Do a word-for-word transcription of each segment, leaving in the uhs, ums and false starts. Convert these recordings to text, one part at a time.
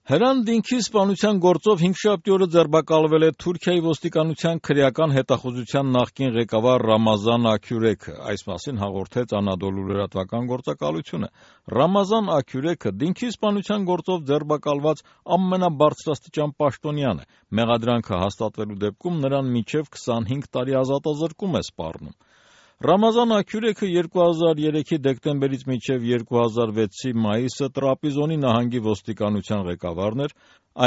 Հրան Դինքի սպանության գործով հինգշաբթի օրը ձերբակալվել է Թուրքիայի ոստիկանության քրեական հետախուզության նախկին ղեկավար Ռամազան Աքյուրեքը, այս մասին հաղորդեց Անադոլու լրատվական գործակալությունը։ Ռամազան Աքյուրեքը Դինքի սպանության գործով ձերբակալված ամենաբարձրաստիճան պաշտոնյան է։ Մեղադրանքը հաստատվելու դեպքում նրան մինչև քսանհինգ տարի ազատազրկում է սպառնում։ Ռամազան Աքյուրեքը երկու հազար երեքի դեկտեմբերից մինչև երկու հազար վեցի մայիսը Տրապիզոնի նահանգի ոստիկանության ղեկավարն էր,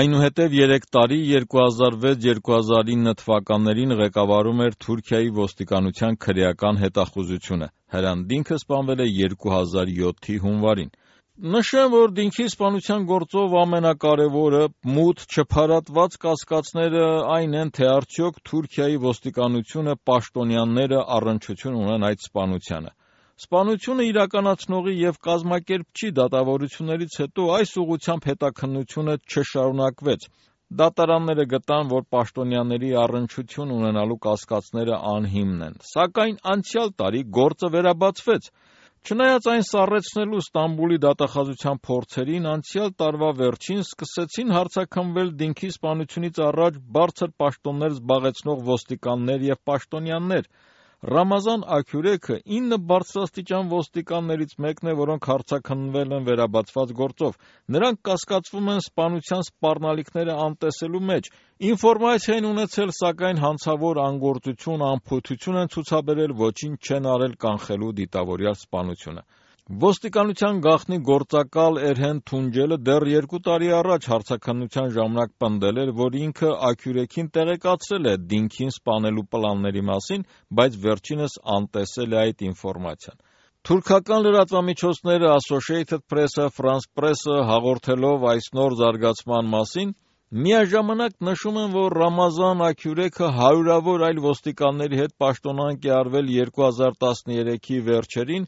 այնուհետև երեք տարի երկու հազար վեց երկու հազար ինը թվականներին ղեկավարում էր Թուրքիայի ոստիկանության քրեական հետախուզությունը։ Հրան Դինքը սպանվել է երկու հազար յոթի հունվարին։ Նշեմ, որ Դինքի սպանության գործով ամենակարևորը մութ չփարատված կասկածները այն են, թե արդյոք Թուրքիայի ոստիկանությունը պաշտոնյաները առնչություն ունեն այդ սպանությանը։ Սպանությունը իրականացնողի և կազմակերպչի դատավորություններից հետո այս ուղղությամբ հետաքննությունը չշարունակվեց։ Դատարանները գտան, որ պաշտոնյաների առնչություն ունենալու կասկածները անհիմն են, սակայն անցյալ տարի գործը վերաբացվեց։ Չնայած այն սառեցնելու Ստամբուլի դատախազության փորձերին, անցյալ տարվա վերջին սկսեցին հարցաքննվել Դինքի սպանությունից առաջ բարձր պաշտոններ զբաղեցնող ոստիկաններ և պաշտոնյաներ։ Ռամազան Աքյուրեքը ինը բարձրաստիճան ոստիկաններից մեկն է, որոնք հարցաքննվել են վերաբացված գործով։ Նրանք կասկածվում են սպանության սպառնալիքները անտեսելու մեջ։ Ինֆորմացիա են ունեցել, սակայն հանցավոր անգործություն, անփութություն են ցուցաբերել, ոչինչ չեն արել կանխելու դիտավորյալ սպանությունը։ Ոստիկանության գաղտնի գործակալ Էրհեն Թունջելը դեռ երկու տարի առաջ հարցաքննության ժամանակ պնդել էր, որ ինքը Աքյուրեքին տեղեկացրել է Դինքին սպանելու պլանների մասին, բայց վերջինս անտեսել է այդ ինֆորմացիան։ Թուրքական լրատվամիջոցները Associated Press-ը, France Press-ը հաղորդելով այս նոր զարգացման մասին, միաժամանակ նշում են, որ Ռամազան Աքյուրեքը հարյուրավոր այլ ոստիկանների հետ պաշտոնանկ է արվել երկու հազար տասներեքի վերջերին,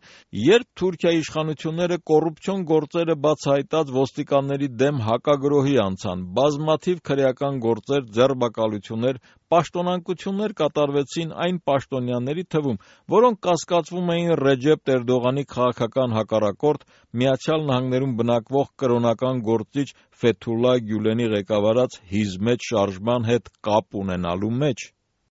երբ Թուրքիայի իշխանությունները կոռուպցիոն գործերը բացահայտած ոստիկանների դեմ հակագրոհի անցան, բազմաթիվ քրեական գործեր, ձերբակալություններ, պաշտոնանկություններ կատարվեցին այն պաշտոնյաների թվում, որոնք կասկածվում էին Ռեջեփ Էրդողանի քաղաքական հակառակորդ, Միացյալ Նահանգներում բնակվող կրոնական գործիչ Ֆեթուլլա Գյուլենի ղեկավարած հիզմետ շարժման հետ կապ ունենալու մեջ։